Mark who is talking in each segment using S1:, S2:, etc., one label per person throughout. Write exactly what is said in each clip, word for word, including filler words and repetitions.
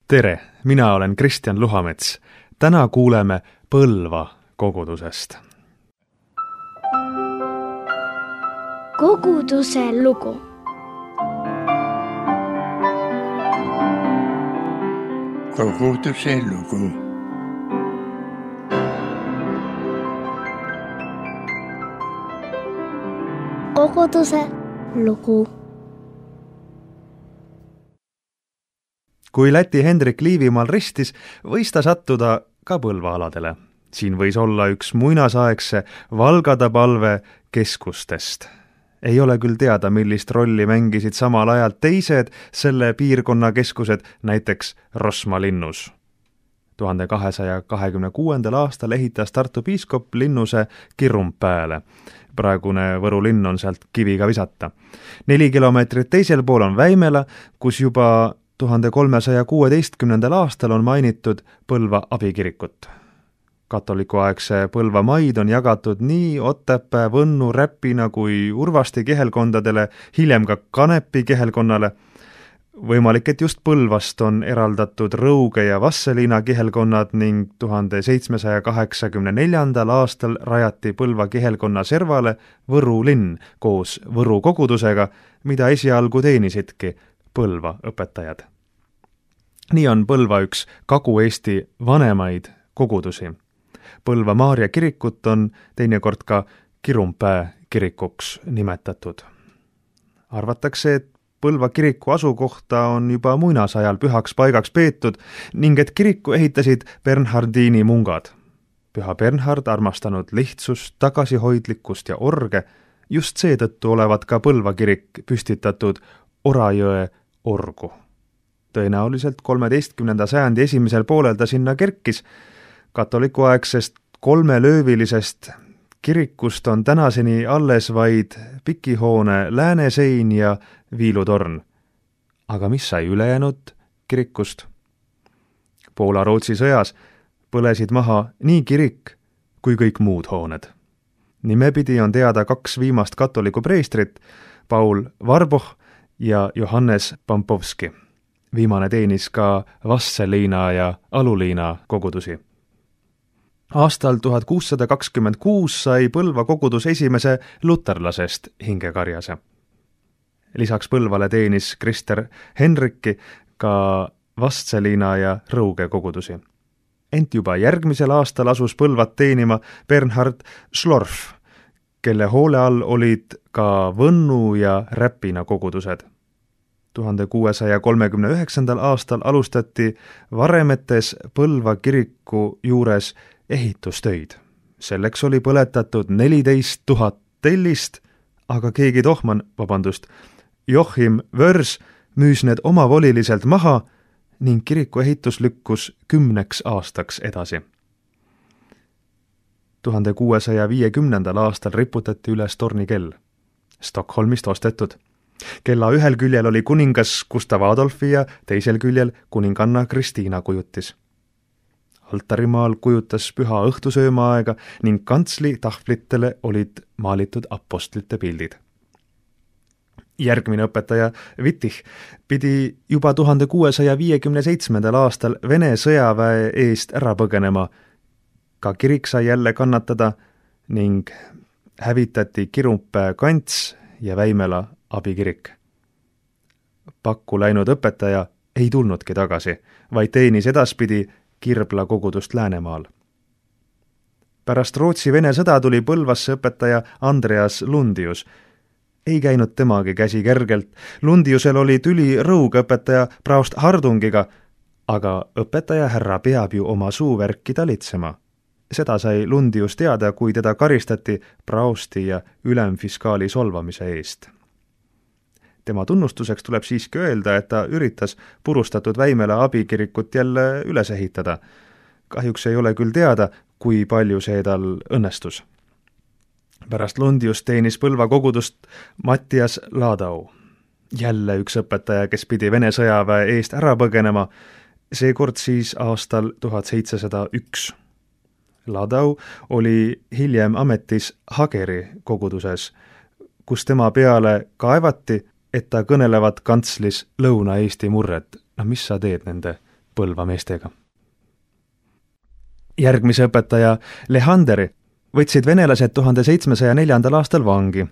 S1: Tere, mina olen Kristjan Luhamets. Täna kuuleme Põlva kogudusest.
S2: Koguduse lugu.
S3: Koguduse lugu.
S2: Koguduse lugu.
S1: Kui Läti Hendrik Liivimaal ristis, võis ta sattuda ka Põlva-aladele. Siin võis olla üks muinasaegse Valgadapalve keskustest. Ei ole küll teada, millist rolli mängisid samal ajal teised selle piirkonna keskused, näiteks Rosma linnus. tuhande kahesaja kahekümne kuuendal aastal ehitas Tartu piiskop linnuse Kirumpääle. Praegune Võru linn on sealt kiviga visata. Neli kilomeetrit teisel pool on Väimela, kus juba tuhande kolmesaja kuueteistkümnendal aastal on mainitud Põlva abikirikut. Katolikuaegse Põlva maid on jagatud nii Otepää, Võnnu, Räpina kui Urvasti kihelkondadele, hiljem ka Kanepi kihelkonnale. Võimalik, et just Põlvast on eraldatud Rõuge ja Vasseliina kihelkonnad ning tuhande seitsmesaja kaheksakümne neljandal aastal rajati Põlva kihelkonna servale Võru linn koos Võru kogudusega, mida esialgu teenisidki Põlva õpetajad. Nii on Põlva üks Kagu-Eesti vanemaid kogudusi. Põlva Maarja kirikut on teinekord ka Kirumpää kirikuks nimetatud. Arvatakse, et Põlva kiriku asukohta on juba muinasajal pühaks paigaks peetud ning et kiriku ehitasid Bernhardini mungad. Püha Bernhard armastanud lihtsust, tagasihoidlikkust ja orge, just seetõttu olevat ka Põlva kirik püstitatud Orajõe orgu. Tõenäoliselt kolmeteistkümnenda sajandi esimesel poolel ta sinna kerkis. Katolikuaegsest kolmelöövilisest kirikust on tänaseni alles vaid pikihoone läänesein ja viilutorn. Aga mis sai ülejäänud kirikust? Poola-Rootsi sõjas põlesid maha nii kirik kui kõik muud hooned. Nimepidi on teada kaks viimast katoliku preestrit, Paul Varboh ja Johannes Pampovski. Viimane teenis ka Vasseliina ja Aluliina kogudusi. Aastal tuhat kuussada kakskümmend kuus sai Põlva kogudus esimese luterlasest hingekarjase. Lisaks Põlvale teenis Krister Henrikki ka Vasseliina ja Rõuge kogudusi. Ent juba järgmisel aastal asus Põlvat teenima Bernhard Schlorf, kelle hoole all olid ka Võnnu ja Räpina kogudused. tuhande kuuesaja kolmekümne üheksandal aastal alustati Varemetes Põlva kiriku juures ehitustöid. Selleks oli põletatud neliteist tuhat tellist, aga keegi tohman, vabandust, Joachim Wörs müüs need omavoliliselt maha ning kiriku ehitus lükkus kümneks aastaks edasi. tuhande kuuesaja viiekümnendal aastal riputati üles tornikell. Stockholmist ostetud. Kella ühel küljel oli kuningas Gustav Adolfi ja teisel küljel kuninganna Kristiina kujutis. Altarimaal kujutas püha õhtusöömaaega ning kantsli tahvlitele olid maalitud apostlite pildid. Järgmine õpetaja Wittich pidi juba tuhande kuuesaja viiekümne seitsmendal aastal Vene sõjaväe eest ära põgenema. Ka kirik sai jälle kannatada ning hävitati Kirumpää kants ja Väimela abikirik. Pakku läinud õpetaja ei tulnudki tagasi, vaid teenis edaspidi Kirbla kogudust Läänemaal. Pärast Rootsi-Vene sõda tuli Põlvasse õpetaja Andreas Lundius. Ei käinud temagi käsi kergelt. Lundiusel oli tüli Rõuge õpetaja praost Hardungiga, aga õpetaja härra peab ju oma suuvärki talitsema. Seda sai Lundius teada, kui teda karistati praosti ja ülemfiskaali solvamise eest. Tema tunnustuseks tuleb siiski öelda, et ta üritas purustatud Väimela abikirikut jälle üles ehitada. Kahjuks ei ole küll teada, kui palju see tal õnnestus. Pärast Lundius teenis Põlva kogudust Mattias Ladau. Jälle üks õpetaja, kes pidi Vene sõjaväe eest ära põgenema, seekord siis aastal tuhat seitsesada üks. Ladau oli hiljem ametis Hageri koguduses, kus tema peale kaevati, et ta kõnelevat kantslis Lõuna-Eesti murret. No mis sa teed nende Põlva meestega. Järgmise õpetaja Lehanderi võtsid venelased tuhande seitsmesaja neljandal aastal vangi,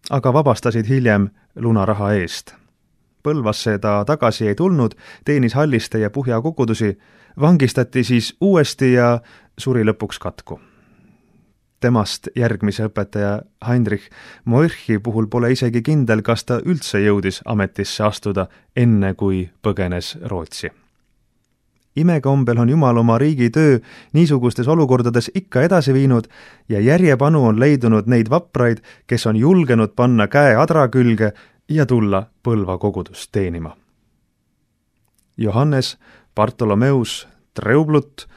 S1: aga vabastasid hiljem lunaraha eest. Põlvasse ta tagasi ei tulnud, teenis Halliste ja Puhja kogudusi, vangistati siis uuesti ja suri lõpuks katku. Temast järgmise õpetaja Heinrich Moirchi puhul pole isegi kindel, kas ta üldse jõudis ametisse astuda enne, kui põgenes Rootsi. Imekombel on Jumal oma riigi töö niisugustes olukordades ikka edasi viinud ja järjepanu on leidunud neid vapraid, kes on julgenud panna käe adra külge ja tulla Põlva kogudust teenima. Johannes Bartolomeus Treublut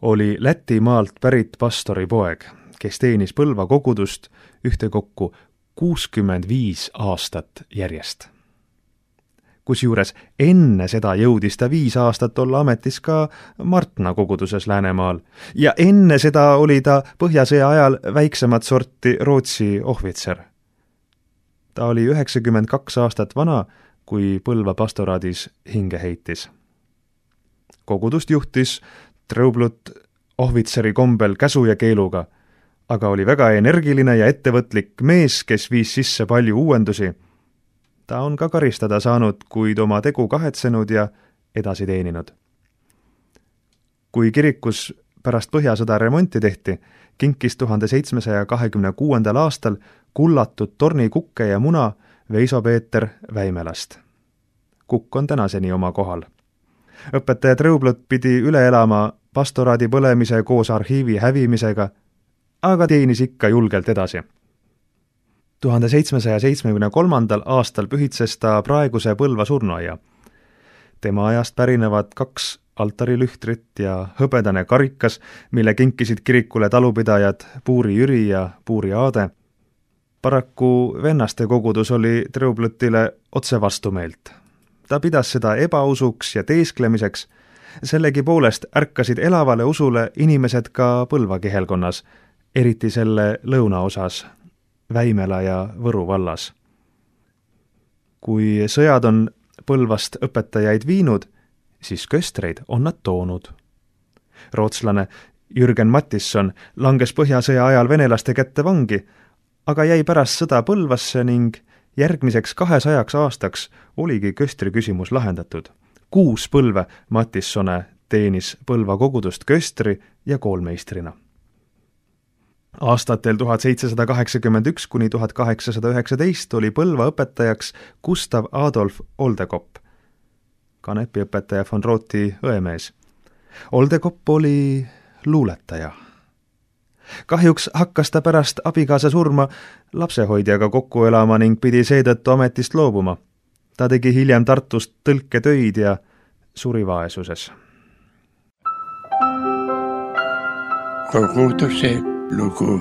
S1: oli Lätimaalt pärit pastori poeg, kes teenis Põlva kogudust ühtekokku kuuskümmend viis aastat järjest. Kusjuures enne seda jõudis ta viis aastat olla ametis ka Martna koguduses Läänemaal ja enne seda oli ta Põhjasõja ajal väiksemat sorti Rootsi ohvitser. Ta oli üheksakümmend kaks aastat vana, kui Põlva pastoraadis hinge heitis. Kogudust juhtis Treublut ohvitseri kombel käsu ja keeluga, aga oli väga energiline ja ettevõtlik mees, kes viis sisse palju uuendusi. Ta on ka karistada saanud, kuid oma tegu kahetsenud ja edasi teeninud. Kui kirikus pärast Põhjasõda remonti tehti, kinkis tuhande seitsmesaja kahekümne kuuendal aastal kullatud tornikukke ja muna Veiso Peeter Väimelast. Kukk on tänaseni oma kohal. Õpetaja Treublut pidi üle elama pastoraadi põlemise koos arhiivi hävimisega, aga teenis ikka julgelt edasi. tuhande seitsmesaja seitsmekümne kolmandal aastal pühitses ta praeguse Põlva surnuaia. Tema ajast pärinevad kaks altarilühtrit ja hõbedane karikas, mille kinkisid kirikule talupidajad Puuri Jüri ja Puuri Aade. Paraku vennaste kogudus oli Treublutile otse vastumeelt. Ta pidas seda ebausuks ja teesklemiseks, sellegi poolest ärkasid elavale usule inimesed ka Põlva kihelkonnas, eriti selle lõunaosas, Väimela ja Võru vallas. Kui sõjad on Põlvast õpetajaid viinud, siis köstreid on nad toonud. Rootslane Jürgen Mattisson langes Põhjasõja ajal venelaste kätte vangi, aga jäi pärast sõda Põlvasse ning järgmiseks kahesajaks aastaks oligi köstri küsimus lahendatud. Kuus põlve Mattissone teenis Põlva kogudust köstri ja koolmeistrina. Aastatel tuhat seitsesada kaheksakümmend üks kuni tuhat kaheksasada üheksateist oli Põlva õpetajaks Gustav Adolf Oldekopp, kanepiõpetaja von Rooti õemees. Oldekopp oli luuletaja. Kahjuks hakkas ta pärast abikaasa surma lapsehoidjaga kokku elama ning pidi seetõttu ametist loobuma. Ta tegi hiljem Tartust tõlketöid ja suri vaesuses.
S3: Koguduse lugu.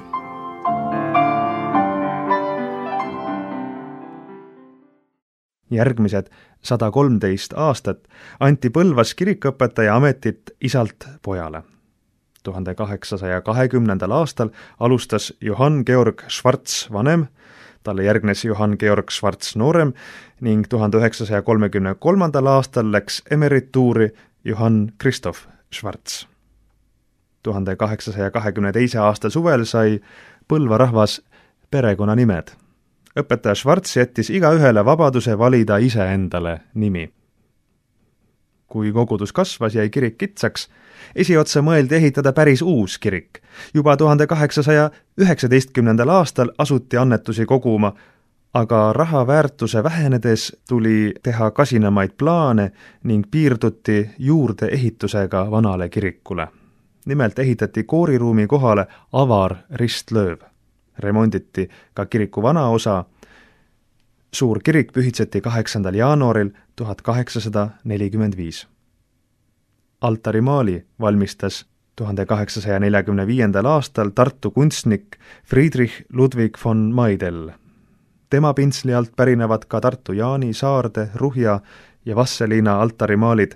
S1: Järgmised sada kolmteist aastat anti Põlvas kirikuõpetaja ametit isalt pojale. tuhande kaheksasaja kahekümnendal aastal alustas Johann Georg Schwarz vanem, talle järgnes Johann Georg Schwarz noorem ning tuhande üheksasaja kolmekümne kolmandal aastal läks emerituuri Johann Christoph Schwarz. tuhande kaheksasaja kahekümne teise aasta suvel sai Põlva rahvas perekonnanimed. Õpetaja Schwarz jättis igaühele vabaduse valida ise endale nimi. Kui kogudus kasvas, jäi kirik kitsaks, esiotsa mõeldi ehitada päris uus kirik. Juba tuhande kaheksasaja üheksateistkümnendal aastal asuti annetusi koguma, aga raha väärtuse vähenedes tuli teha kasinamaid plaane ning piirduti juurde ehitusega vanale kirikule. Nimelt ehitati kooriruumi kohale avar ristlööv. Remonditi ka kiriku vana osa. Suur kirik pühitseti kaheksandal jaanuaril tuhat kaheksasada nelikümmend viis. Altarimaali valmistas tuhande kaheksasaja neljakümne viiendal aastal Tartu kunstnik Friedrich Ludwig von Maidel. Tema pintsli alt pärinevad ka Tartu Jaani, Saarde, Ruhja ja Vasseliina altarimaalid.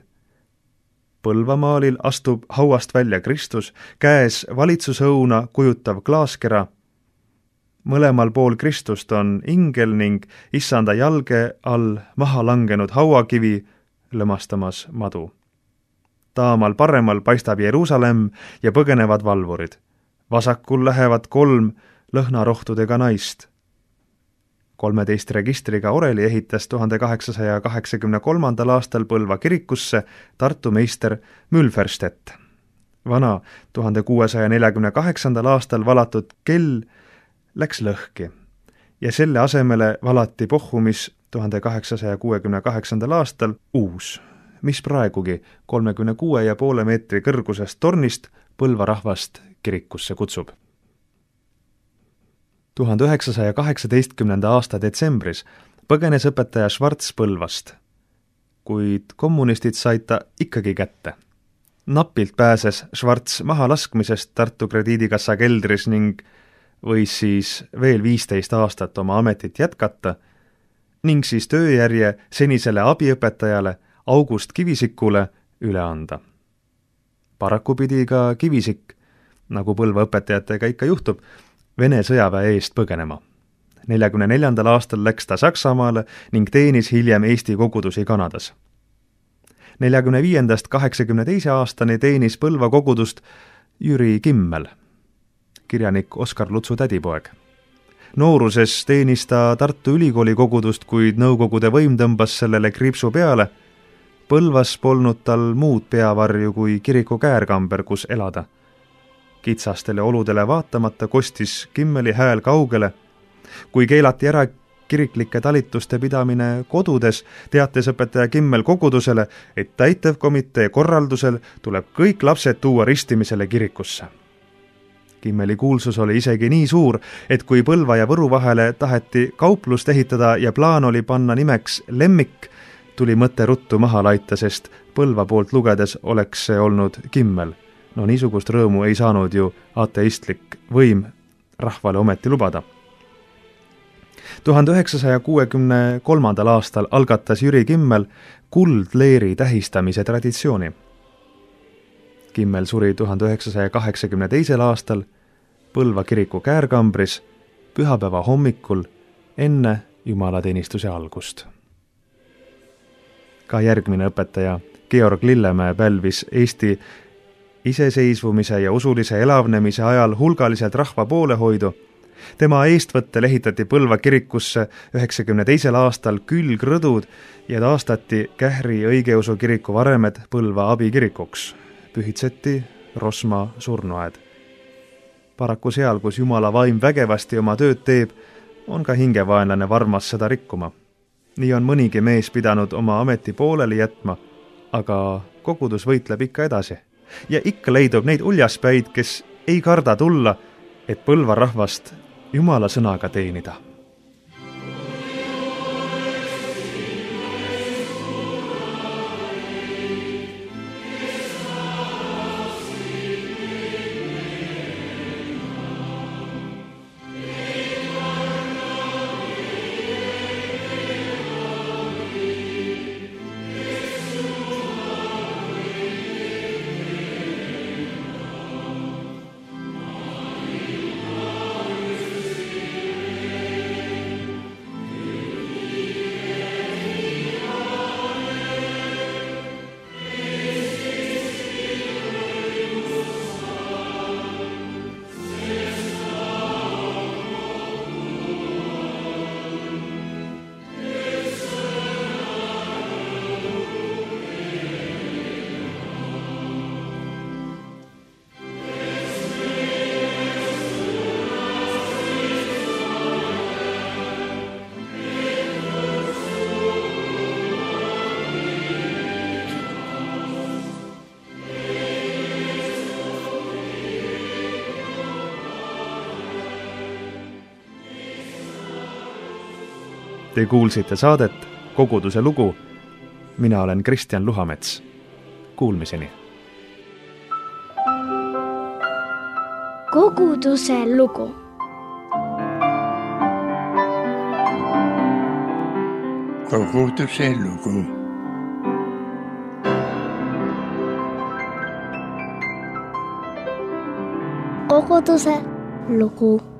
S1: Põlvamaalil astub hauast välja Kristus, käes valitsusõuna kujutav klaaskera. Mõlemal pool Kristust on ingel ning issanda jalge all maha langenud hauakivi lõmastamas madu. taamal paremal paistab Jeruusalemm ja põgenevad valvurid. Vasakul lähevad kolm lõhnarohtudega naist. kolmeteist registriga oreli ehitas tuhande kaheksasaja kaheksakümne kolmandal aastal Põlva kirikusse Tartu meister Mülferstedt. Vana tuhande kuuesaja neljakümne kaheksandal aastal valatud kell läks lõhki ja selle asemele valati Pohhumis tuhande kaheksasaja kuuekümne kaheksandal aastal uus, mis praegugi kolmekümne kuue ja poole meetri kõrgusest tornist Põlva rahvast kirikusse kutsub. tuhande üheksasaja kaheksateistkümnenda aasta detsembris põgenes õpetaja Schwarz Põlvast, kuid kommunistid said ta ikkagi kätte. Napilt pääses Schwarz mahalaskmisest Tartu krediidikassa keldris ning võis siis veel viisteist aastat oma ametit jätkata ning siis tööjärje senisele abiõpetajale August Kivisikule üle anda. Paraku pidi ka Kivisik, nagu Põlva õpetajatega ikka juhtub, Vene sõjaväe eest põgenema. neljakümne neljandal aastal läks ta Saksamaale ning teenis hiljem Eesti kogudusi Kanadas. neljakümne viiendast kaheksakümne teise aastani teenis Põlva kogudust Jüri Kimmel, kirjanik Oskar Lutsu tädipoeg. Nooruses teenis ta Tartu Ülikooli kogudust, kuid Nõukogude võim tõmbas sellele kriipsu peale. Põlvas polnud tal muud peavarju kui kiriku käärkamber, kus elada. Kitsastele oludele vaatamata kostis Kimmeli hääl kaugele. Kui keelati ära kiriklike talituste pidamine kodudes, teates õpetaja Kimmel kogudusele, et täitevkomitee korraldusel tuleb kõik lapsed tuua ristimisele kirikusse. Kimmeli kuulsus oli isegi nii suur, et kui Põlva ja Võru vahele taheti kauplust ehitada ja plaan oli panna nimeks Lemmik, tuli mõte ruttu maha laita, sest Põlva poolt lugedes oleks see olnud Kimmel. No niisugust rõõmu ei saanud ju ateistlik võim rahvale ometi lubada. tuhande üheksasaja kuuekümne kolmandal aastal algatas Jüri Kimmel kuldleeri tähistamise traditsiooni. Kimmel suri tuhande üheksasaja kaheksakümne teisel aastal Põlva kiriku käärkambris pühapäeva hommikul enne jumalateenistuse algust. Ka järgmine õpetaja Georg Lillemäe pälvis Eesti iseseisvumise ja usulise elavnemise ajal hulgaliselt rahva poolehoidu. Tema eestvõttel ehitati Põlva kirikusse üheksakümne teisel aastal külgrõdud ja taastati Kähri õigeusu kiriku varemed Põlva abikirikuks. Pühitseti Rosma surnuaed. Paraku seal, kus Jumala vaim vägevasti oma tööd teeb, on ka hingevaenlane varmas seda rikkuma. Nii on mõnigi mees pidanud oma ameti pooleli jätma, aga kogudus võitleb ikka edasi. Ja ikka leidub neid uljaspäid, kes ei karda tulla, et Põlva rahvast Jumala sõnaga teenida. Te kuulsite saadet Koguduse lugu. Mina olen Kristjan Luhamets. Kuulmiseni.
S2: Koguduse lugu.
S3: Koguduse lugu.
S2: Koguduse lugu.